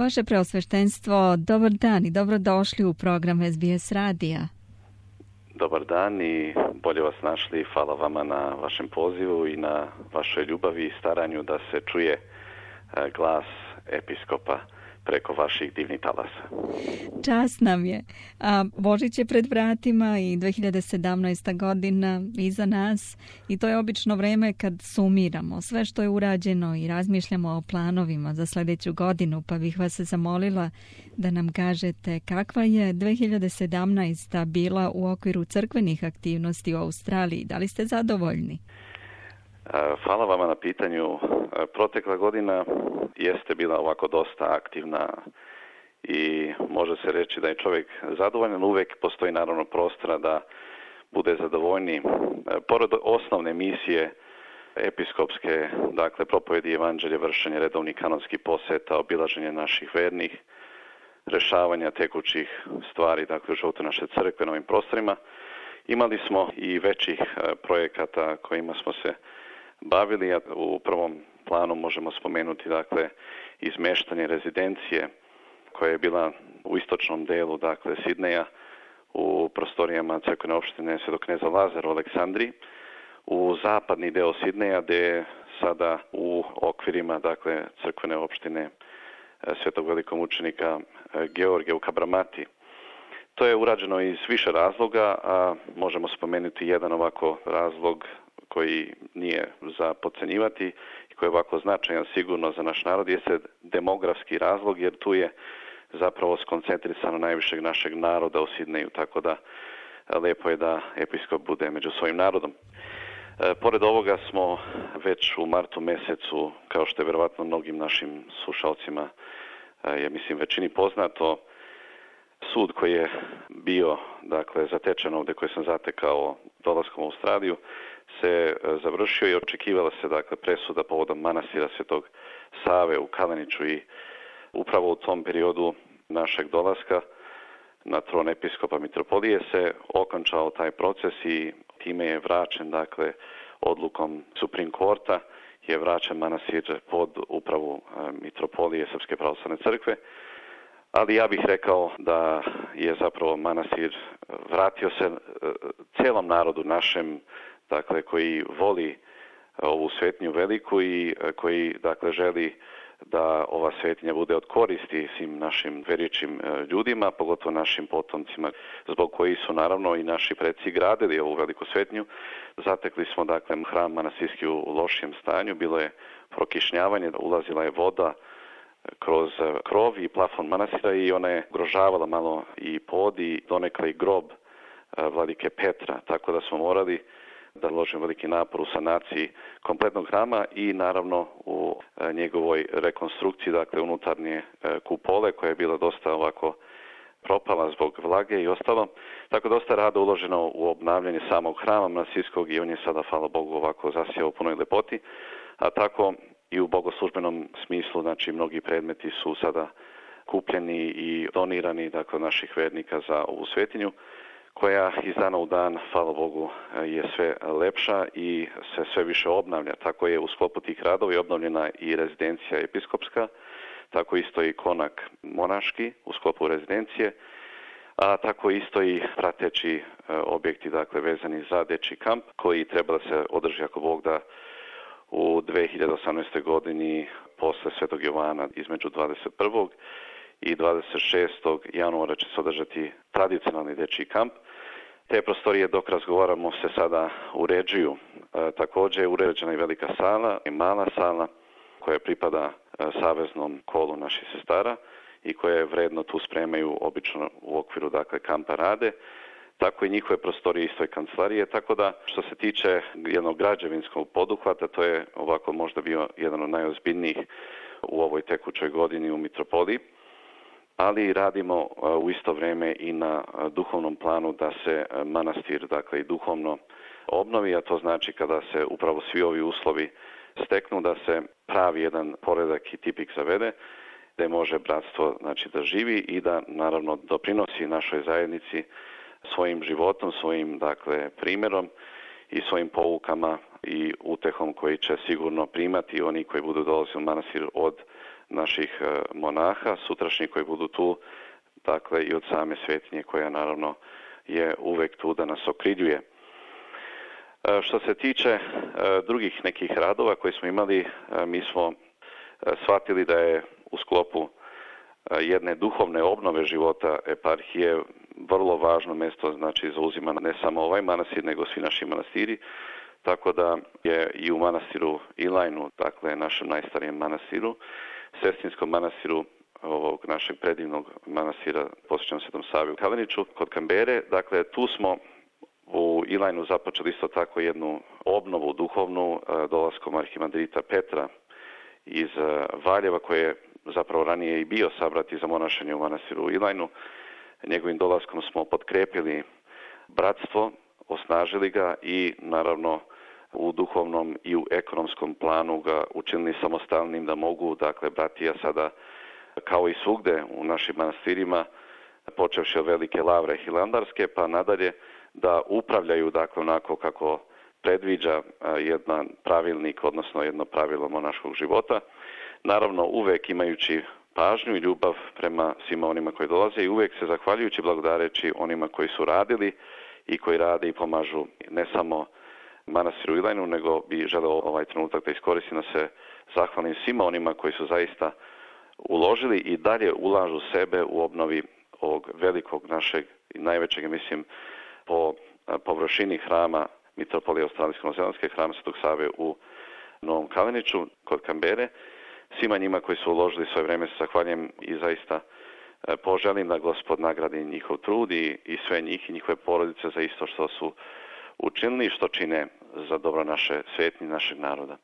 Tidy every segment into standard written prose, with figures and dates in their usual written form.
Vaše preosveštenstvo, dobar dan i dobrodošli u program SBS radija. Dobar dan i bolje vas našli. Hvala vama na vašem pozivu i na vašoj ljubavi i staranju da se čuje glas episkopa preko vaših divnih talasa. Čast nam je. Božić je pred vratima i 2017. godina iza nas i to je obično vreme kad sumiramo sve što je urađeno i razmišljamo o planovima za sljedeću godinu, pa bih vas zamolila da nam kažete kakva je 2017. bila u okviru crkvenih aktivnosti u Australiji. Da li ste zadovoljni? Hvala vama na pitanju. Protekla godina jeste bila ovako dosta aktivna i može se reći da je čovjek zadovoljan. Uvijek postoji naravno prostora da bude zadovoljniji. Pored osnovne misije episkopske, dakle propovjedi evanđelje, vršenje redovnih kanonskih posjeta, obilaženje naših vernih, rješavanja tekućih stvari, dakle u životu naše crkve na ovim prostorima, imali smo i većih projekata kojima smo se bavili. U prvom planu možemo spomenuti dakle izmeštanje rezidencije koja je bila u istočnom delu dakle Sidneja u prostorijama crkvene opštine Svetog kneza Lazara u Aleksandriji, u zapadni deo Sidneja gdje je sada u okvirima dakle crkvene opštine Svetog velikomučenika Georgija u Kabramati. To je urađeno iz više razloga, a možemo spomenuti jedan ovako razlog koji nije za podcenjivati i koji je ovako značajan sigurno za naš narod, jeste demografski razlog, jer tu je zapravo skoncentrisano najvišeg našeg naroda u Sidneju, tako da lijepo je da episkop bude među svojim narodom. Pored ovoga smo već u martu mjesecu, kao što je vjerovatno mnogim našim slušalcima, ja mislim većini poznato, sud koji je bio dakle zatečen ovdje, koji sam zatekao dolaskom u Australiju, se završio i očekivala se dakle presuda povodom manastira Svetog Save u Kaleniću i upravo u tom periodu našeg dolaska na tron episkopa mitropolije se okončao taj proces i time je vraćen dakle odlukom Supreme Courta je vraćen manastir pod upravu mitropolije Srpske pravoslavne crkve. Ali ja bih rekao da je zapravo manastir vratio se cijelom narodu našem, dakle koji voli ovu svetinju veliku i koji dakle želi da ova svetinja bude od koristi svim našim vjerujućim ljudima, pogotovo našim potomcima, zbog koji su naravno i naši preci gradili ovu veliku svetinju. Zatekli smo dakle hram manastirski u lošijem stanju, bilo je prokišnjavanje, ulazila je voda kroz krov i plafon manastira i ona je ugrožavala malo i pod i donekle i grob vladike Petra, tako da smo morali da uložimo veliki napor u sanaciji kompletnog hrama i naravno u njegovoj rekonstrukciji, dakle unutarnje kupole koja je bila dosta ovako propala zbog vlage i ostalo. Tako dosta rada uloženo u obnavljanje samog hrama manastirskog i on je sada, hvala Bogu, ovako zasijao u punoj lepoti, a tako i u bogoslužbenom smislu, znači mnogi predmeti su sada kupljeni i donirani dakle naših vernika za ovu svetinju, koja iz dana u dan, hvala Bogu, je sve lepša i se sve više obnavlja. Tako je u sklopu tih radova obnovljena i rezidencija episkopska, tako isto i konak monaški u sklopu rezidencije, a tako isto i prateći objekti, dakle vezani za dečji kamp, koji treba da se održi ako Bog da u 2018. godini posle Svetog Jovana između 21. i 26. januara će se održati tradicionalni dečji kamp. Te prostorije dok razgovaramo se sada uređuju. Također je uređena i velika sala i mala sala koja pripada saveznom kolu naših sestara i koje vredno tu spremaju obično u okviru dakle kampa rade. Tako i njihove prostorije isto i kancelarije, tako da što se tiče jednog građevinskog poduhvata, to je ovako možda bio jedan od najozbiljnijih u ovoj tekućoj godini u mitropoliji, ali radimo u isto vrijeme i na duhovnom planu da se manastir dakle i duhovno obnovi, a to znači kada se upravo svi ovi uslovi steknu da se pravi jedan poredak i tipik zavede, da može bratstvo znači da živi i da naravno doprinosi našoj zajednici svojim životom, svojim dakle primjerom i svojim poukama i utehom koji će sigurno primati oni koji budu dolazili u manastir od naših monaha, sutrašnjih koji budu tu, dakle i od same svetinje koja naravno je uvek tu da nas okriljuje. Što se tiče drugih nekih radova koje smo imali, mi smo shvatili da je u sklopu jedne duhovne obnove života eparhije vrlo važno mjesto, znači zauzima ne samo ovaj manastir, nego svi naši manastiri, tako da je i u manastiru Ilajnu, dakle našem najstarijem manastiru, sestrinskom manastiru ovog našeg predivnog manastira posvećenom Svetom Savi u Kaleniću, kod Kambere, dakle tu smo u Ilajnu započeli isto tako jednu obnovu duhovnu dolaskom arhimandrita Petra iz Valjeva, koji je zapravo ranije i bio sabrati za monašenje u manastiru u Ilajnu. Njegovim dolaskom smo potkrepili bratstvo, osnažili ga i naravno u duhovnom i u ekonomskom planu ga učinili samostalnim da mogu, dakle, bratija sada kao i svugde u našim manastirima, počevši od Velike Lavre Hilandarske, pa nadalje da upravljaju, dakle, onako kako predviđa jedan pravilnik, odnosno jedno pravilo monaškog života. Naravno, uvek imajući pažnju i ljubav prema svima onima koji dolaze i uvek se zahvaljujući, blagodareći onima koji su radili i koji rade i pomažu ne samo manastiru Ilajnu, nego bi želeo ovaj trenutak da iskoristim da se zahvalim svima onima koji su zaista uložili i dalje ulažu sebe u obnovi ovog velikog našeg i najvećeg, mislim, po površini hrama Mitropolije Australijsko-Novozelandske, hrama Svetog Save u Novom Kaleniću kod Kambere. Svima njima koji su uložili svoje vreme se zahvaljujem i zaista poželim da Gospod nagradi njihov trud i sve njih i njihove porodice za isto što su učinili i što čine za dobro naše svetinje, našeg naroda.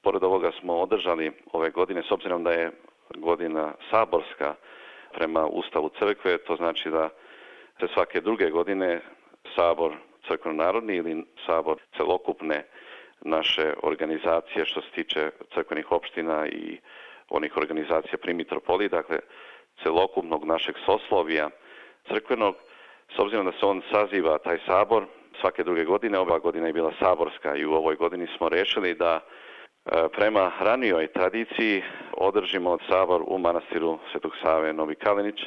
Pored ovoga smo održali ove godine, s obzirom da je godina saborska prema Ustavu crkve, to znači da se svake druge godine sabor crkveno-narodni ili sabor celokupne naše organizacije što se tiče crkvenih opština i onih organizacija pri mitropoliji, dakle celokupnog našeg soslovija crkvenog, s obzirom da se on saziva taj sabor svake druge godine, ova godina je bila saborska i u ovoj godini smo rešili da prema ranijoj tradiciji održimo sabor u manastiru Svetog Save Novi Kalenić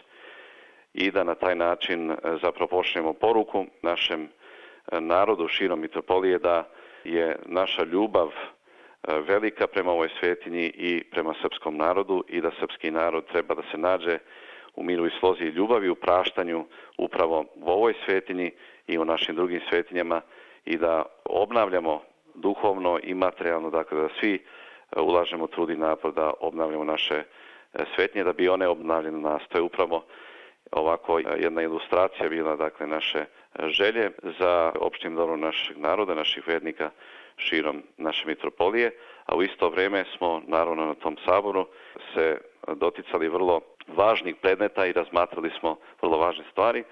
i da na taj način zapravo pošaljemo poruku našem narodu širom mitropolije da je naša ljubav velika prema ovoj svetinji i prema srpskom narodu i da srpski narod treba da se nađe u miru i slozi i ljubavi, u praštanju upravo u ovoj svetinji i u našim drugim svetinjama i da obnavljamo duhovno i materijalno, dakle da svi ulažemo trud i napor da obnavljamo naše svetinje, da bi one obnavljene nas. To je upravo ovako jedna ilustracija bila, dakle, naše želje za opštim dobrom našeg naroda, naših vernika širom naše mitropolije, a u isto vrijeme smo naravno na tom saboru se doticali vrlo važnih predmeta i razmatrali smo vrlo važne stvari,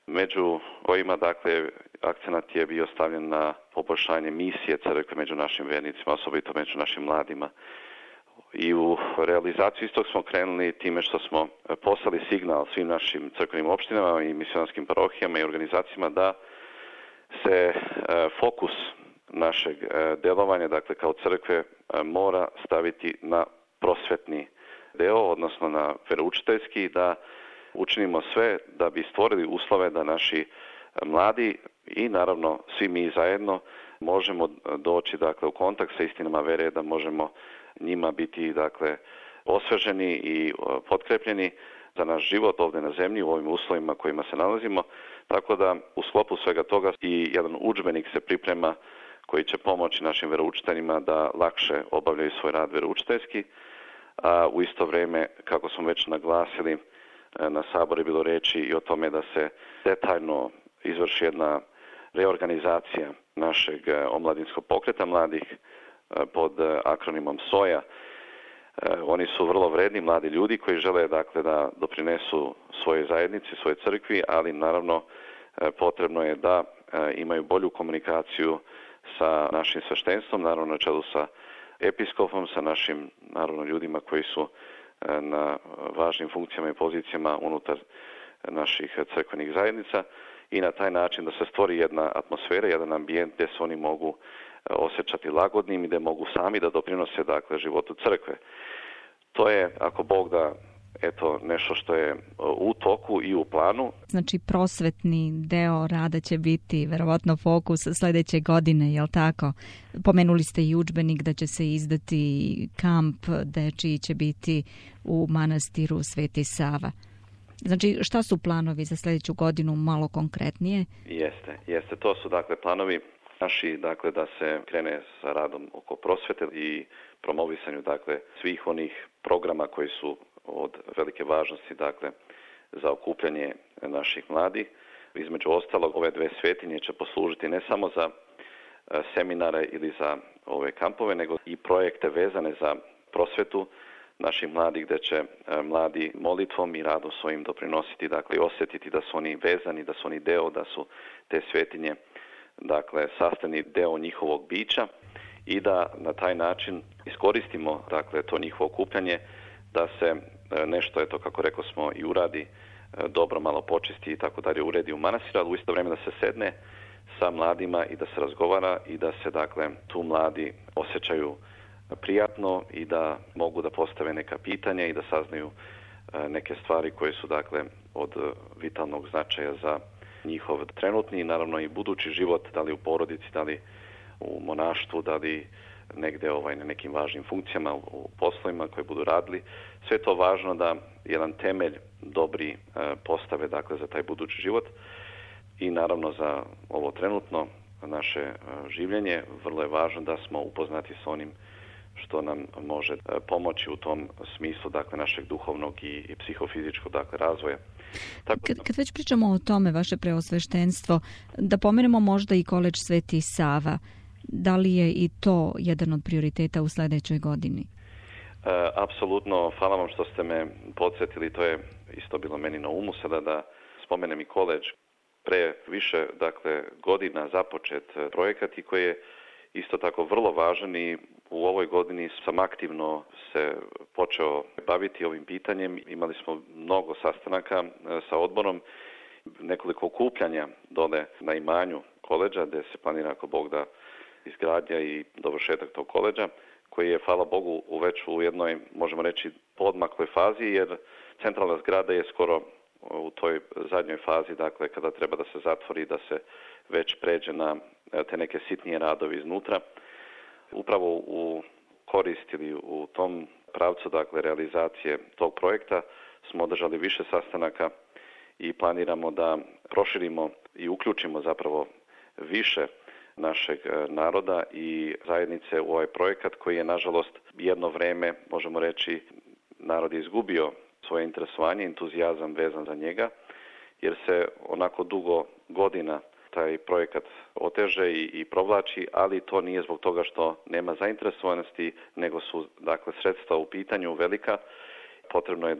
među kojima, dakle, akcenat je bio stavljen na poboljšanje misije crkve među našim vernicima, osobito među našim mladima. I u realizaciju istog smo krenuli time što smo poslali signal svim našim crkvenim opštinama i misionarskim parohijama i organizacijama da se fokus našeg delovanja, dakle kao crkve, mora staviti na prosvetni deo, odnosno na veroučiteljski, da učinimo sve da bi stvorili uslove da naši mladi i naravno svi mi zajedno možemo doći, dakle, u kontakt sa istinama vere, da možemo njima biti, dakle, osveženi i potkrepljeni za naš život ovdje na zemlji u ovim uslovima kojima se nalazimo. Tako da u sklopu svega toga i jedan udžbenik se priprema koji će pomoći našim veroučiteljima da lakše obavljaju svoj rad veroučiteljski, a u isto vrijeme, kako smo već naglasili, na saboru je bilo reći i o tome da se detaljno izvrši jedna reorganizacija našeg omladinskog pokreta mladih pod akronimom SOJA. Oni su vrlo vredni mladi ljudi koji žele, dakle, da doprinesu svojoj zajednici, svojoj crkvi, ali naravno potrebno je da imaju bolju komunikaciju sa našim sveštenstvom, naravno na čelu sa episkopom, sa našim naravno ljudima koji su na važnim funkcijama i pozicijama unutar naših crkvenih zajednica i na taj način da se stvori jedna atmosfera, jedan ambijent gdje se oni mogu osjećati lagodnim i gdje mogu sami da doprinose, dakle, životu crkve. To je, ako Bog da, nešto što je u toku i u planu. Znači prosvetni deo rada će biti verovatno fokus sljedeće godine, jel tako? Pomenuli ste i udžbenik da će se izdati, kamp dečiji će biti u manastiru Sveti Sava. Znači, šta su planovi za sljedeću godinu malo konkretnije? Jeste. To su planovi naši, da se krene sa radom oko prosvete i promovisanju svih onih programa koji su od velike važnosti za okupljanje naših mladih. Između ostalog, ove dve svetinje će poslužiti ne samo za seminare ili za ove kampove, nego i projekte vezane za prosvetu naših mladih, gdje će mladi molitvom i radom svojim doprinositi, i osjetiti da su oni vezani, da su oni deo, da su te svetinje sastavni deo njihovog bića i da na taj način iskoristimo to njihovo okupljanje, da se nešto, kako rekao smo, i uradi dobro, malo počisti i tako dalje, uredi u manastiru, ali u isto vrijeme da se sedne sa mladima i da se razgovara i da se tu mladi osjećaju prijatno i da mogu da postave neka pitanja i da saznaju neke stvari koje su od vitalnog značaja za njihov trenutni i naravno i budući život, da li u porodici, da li u monaštvu, da li negdje na nekim važnim funkcijama u poslovima koje budu radili. Sve to važno da jedan temelj dobri postave za taj budući život i naravno za ovo trenutno naše življenje. Vrlo je važno da smo upoznati s onim što nam može pomoći u tom smislu našeg duhovnog i psihofizičkog razvoja. Kad već pričamo o tome, vaše preosveštenstvo, da pomenemo možda i koledž Sveti Sava. Da li je i to jedan od prioriteta u sljedećoj godini? Apsolutno, hvala vam što ste me podsjetili, to je isto bilo meni na umu sada da spomenem i koledž. Pre više godina započet projekat i koji je isto tako vrlo važan i u ovoj godini sam aktivno se počeo baviti ovim pitanjem. Imali smo mnogo sastanaka sa odborom, nekoliko okupljanja dole na imanju koledža gdje se planira, ako Bog da, izgradnja i dovršetak tog koledža, koji je, hvala Bogu, već u jednoj, možemo reći, podmakloj fazi, jer centralna zgrada je skoro u toj zadnjoj fazi, kada treba da se zatvori, da se već pređe na te neke sitnije radovi iznutra. Upravo u korist ili u tom pravcu, realizacije tog projekta smo održali više sastanaka i planiramo da proširimo i uključimo zapravo više našeg naroda i zajednice u ovaj projekat koji je, nažalost, jedno vreme, možemo reći, narod je izgubio svoje interesovanje, entuzijazam vezan za njega, jer se onako dugo godina taj projekat oteže i provlači, ali to nije zbog toga što nema zainteresovanosti, nego su, sredstva u pitanju velika. Potrebno je,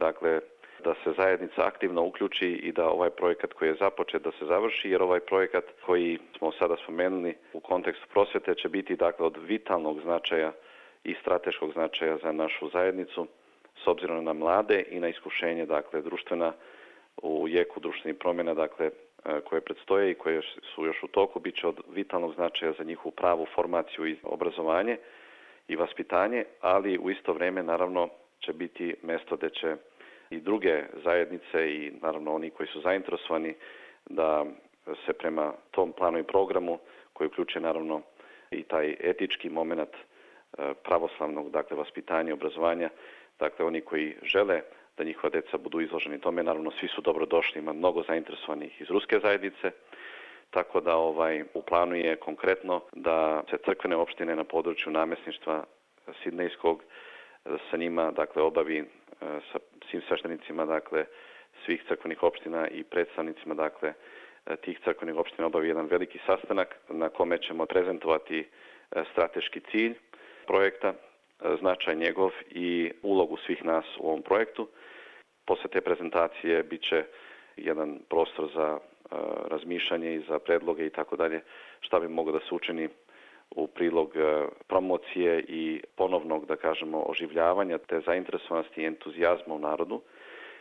da se zajednica aktivno uključi i da ovaj projekat koji je započet da se završi, jer ovaj projekat koji smo sada spomenuli u kontekstu prosvjete će biti od vitalnog značaja i strateškog značaja za našu zajednicu s obzirom na mlade i na iskušenje društvena u jeku društvenih promjena koje predstoje i koje su još u toku, bit će od vitalnog značaja za njihovu pravu formaciju i obrazovanje i vaspitanje, ali u isto vrijeme naravno će biti mjesto gdje će i druge zajednice i naravno oni koji su zainteresovani da se prema tom planu i programu koji uključuje naravno i taj etički moment pravoslavnog vaspitanja i obrazovanja, oni koji žele da njihova djeca budu izloženi tome, naravno svi su dobrodošli, ima mnogo zainteresovanih iz ruske zajednice, tako da u planu je konkretno da se crkvene opštine na području namjesništva Sidnejskog sa njima obavi sa svim sveštenicima svih crkvenih opština i predstavnicima tih crkvenih opština obavi jedan veliki sastanak na kome ćemo prezentovati strateški cilj projekta, značaj njegov i ulogu svih nas u ovom projektu. Posle te prezentacije bit će jedan prostor za razmišljanje i za predloge i tako dalje, šta bi moglo da se učini u prilog promocije i ponovnog, da kažemo, oživljavanja te zainteresovanosti i entuzijazma u narodu,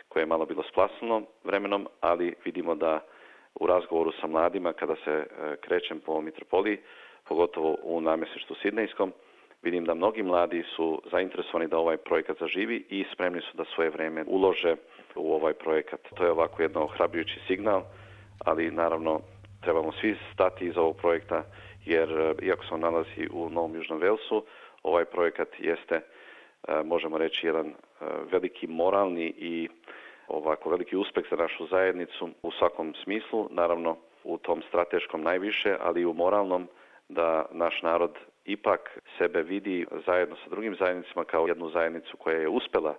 koje je malo bilo splasno vremenom, ali vidimo da u razgovoru sa mladima, kada se krećem po mitropoliji, pogotovo u namjesništvu Sidnejskom, Vidim da mnogi mladi su zainteresovani da ovaj projekat zaživi i spremni su da svoje vreme ulože u ovaj projekat. To je ovako jedno ohrabrujući signal, ali naravno trebamo svi stati iza ovog projekta, jer iako se on nalazi u Novom Južnom Velsu, ovaj projekat jeste, možemo reći, jedan veliki moralni i ovako veliki uspeh za našu zajednicu u svakom smislu, naravno u tom strateškom najviše, ali i u moralnom, da naš narod ipak sebe vidi zajedno sa drugim zajednicama kao jednu zajednicu koja je uspela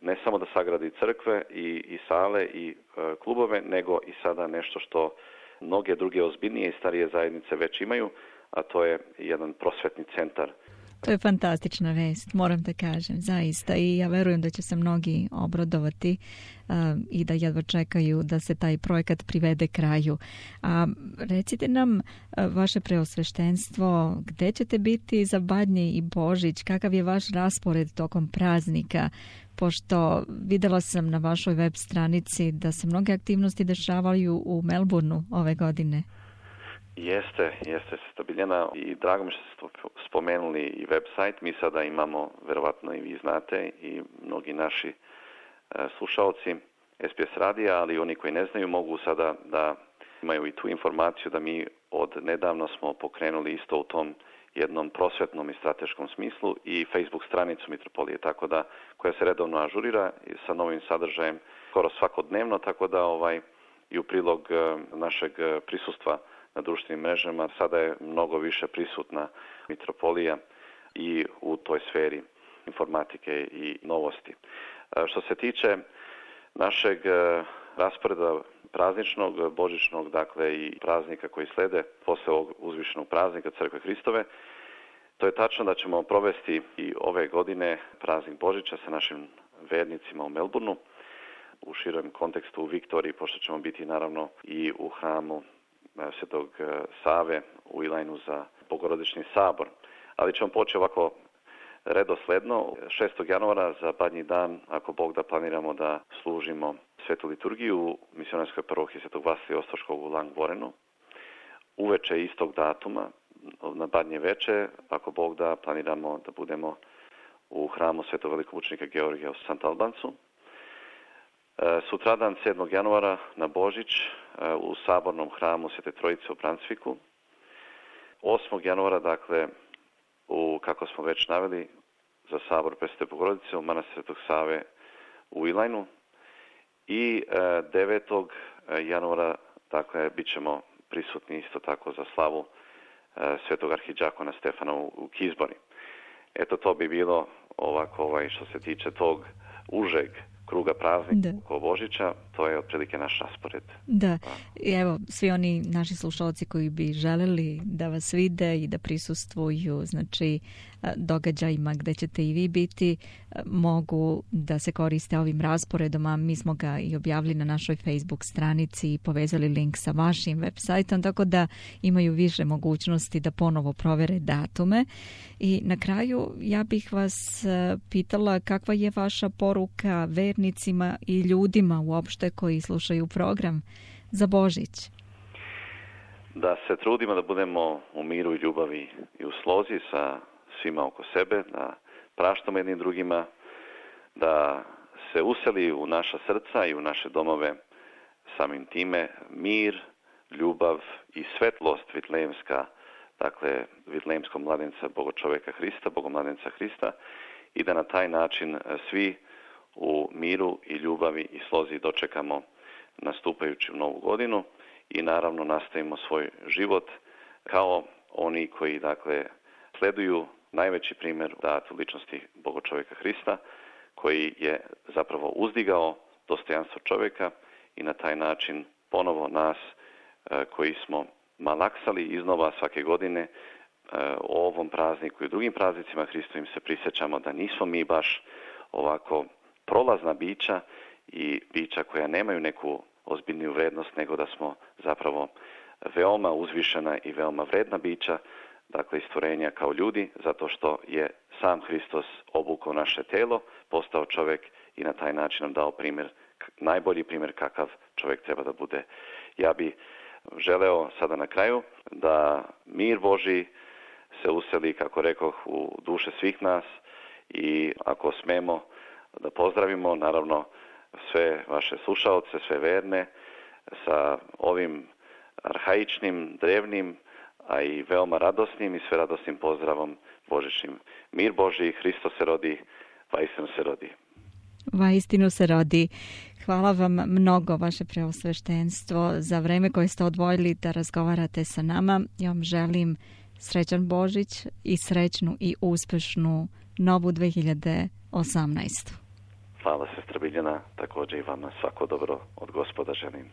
ne samo da sagradi crkve i sale i klubove, nego i sada nešto što mnoge druge ozbiljnije i starije zajednice već imaju, a to je jedan prosvetni centar. To je fantastična vest, moram da kažem, zaista. I ja verujem da će se mnogi obradovati i da jedva čekaju da se taj projekat privede kraju. A recite nam, vaše preosveštenstvo, gde ćete biti za Badnje i Božić? Kakav je vaš raspored tokom praznika? Pošto videla sam na vašoj web stranici da se mnoge aktivnosti dešavaju u Melbourneu ove godine. Jeste stabiljena i drago mi što ste spomenuli i website. Mi sada imamo, verovatno i vi znate, i mnogi naši slušalci SBS radija, ali oni koji ne znaju mogu sada da imaju i tu informaciju da mi od nedavno smo pokrenuli isto u tom jednom prosvetnom i strateškom smislu i Facebook stranicu Mitropolije, tako da koja se redovno ažurira sa novim sadržajem skoro svakodnevno, tako da i u prilog našeg prisustva na društvenim mrežama sada je mnogo više prisutna Mitropolija i u toj sferi informatike i novosti. Što se tiče našeg rasporeda prazničnog, božićnog, dakle i praznika koji slede posle ovog uzvišenog praznika Crkve Hristove, to je tačno da ćemo provesti i ove godine praznik Božića sa našim vernicima u Melbourneu, u širem kontekstu u Viktoriji, pošto ćemo biti naravno i u hramu Svetog Save u Ilajnu za Bogorodični sabor. Ali ćemo poći ovako redosledno. 6. januara za Badnji dan, ako Bog da, planiramo da služimo svetu liturgiju u misionarskoj parohiji Svetog Vasilija Ostroškog u Langborenu. Uveče istog datuma, na Badnje veče, ako Bog da, planiramo da budemo u hramu Svetog velikomučenika Georgija u Sant Albancu. Sutradan 7. januara na Božić u sabornom hramu Svete Trojice u Bransviku. 8. januara, dakle, kako smo već naveli, za sabor Presvete Bogorodice u manastir Svetog Save u Ilajnu. I 9. januara, dakle, bit ćemo prisutni isto tako za slavu Svetog arhidžakona Stefana u Kizbori. Eto, to bi bilo ovako što se tiče tog užeg kruga praznika oko Božića, to je otprilike naš raspored. Da, i evo, svi oni naši slušalci koji bi želeli da vas vide i da prisustvuju, znači, događajima gde ćete i vi biti, mogu da se koriste ovim rasporedom, a mi smo ga i objavili na našoj Facebook stranici i povezali link sa vašim web sajtom, tako da imaju više mogućnosti da ponovo provere datume. I na kraju ja bih vas pitala kakva je vaša poruka vernicima i ljudima uopšte koji slušaju program za Božić? Da se trudimo da budemo u miru i ljubavi i u slozi sa svima oko sebe, da praštamo jednim drugima, da se useli u naša srca i u naše domove samim time mir, ljubav i svetlost vitlejemska, dakle vitlejemskog mladenca Bogočoveka Hrista, Bogomladenca Hrista, i da na taj način svi u miru i ljubavi i slozi dočekamo nastupajući u novu godinu i naravno nastavimo svoj život kao oni koji, dakle, sleduju najveći primjer dat u ličnosti Bogočoveka Hrista, koji je zapravo uzdigao dostojanstvo čovjeka i na taj način ponovo nas koji smo malaksali iznova svake godine o ovom prazniku i drugim praznicima Hristovim se prisjećamo da nismo mi baš ovako prolazna bića i bića koja nemaju neku ozbiljniju vrednost, nego da smo zapravo veoma uzvišena i veoma vredna bića, dakle stvorenja kao ljudi, zato što je sam Hristos obukao naše telo, postao čovjek i na taj način nam dao primjer, najbolji primjer kakav čovjek treba da bude. Ja bi želeo sada na kraju da mir Božji se useli, kako rekoh, u duše svih nas i ako smemo da pozdravimo, naravno, sve vaše slušaoce, sve verne, sa ovim arhaičnim, drevnim, a i veoma radosnim i sve radosnim pozdravom božićnim. Mir Božji, Hristos se rodi, vaistinu se rodi. Vaistinu se rodi. Hvala vam mnogo, vaše preosveštenstvo, za vreme koje ste odvojili da razgovarate sa nama. Ja vam želim srećan Božić i srećnu i uspešnu novu 2018. Hvala, sestra Biljana, također i vama svako dobro od Gospoda želim.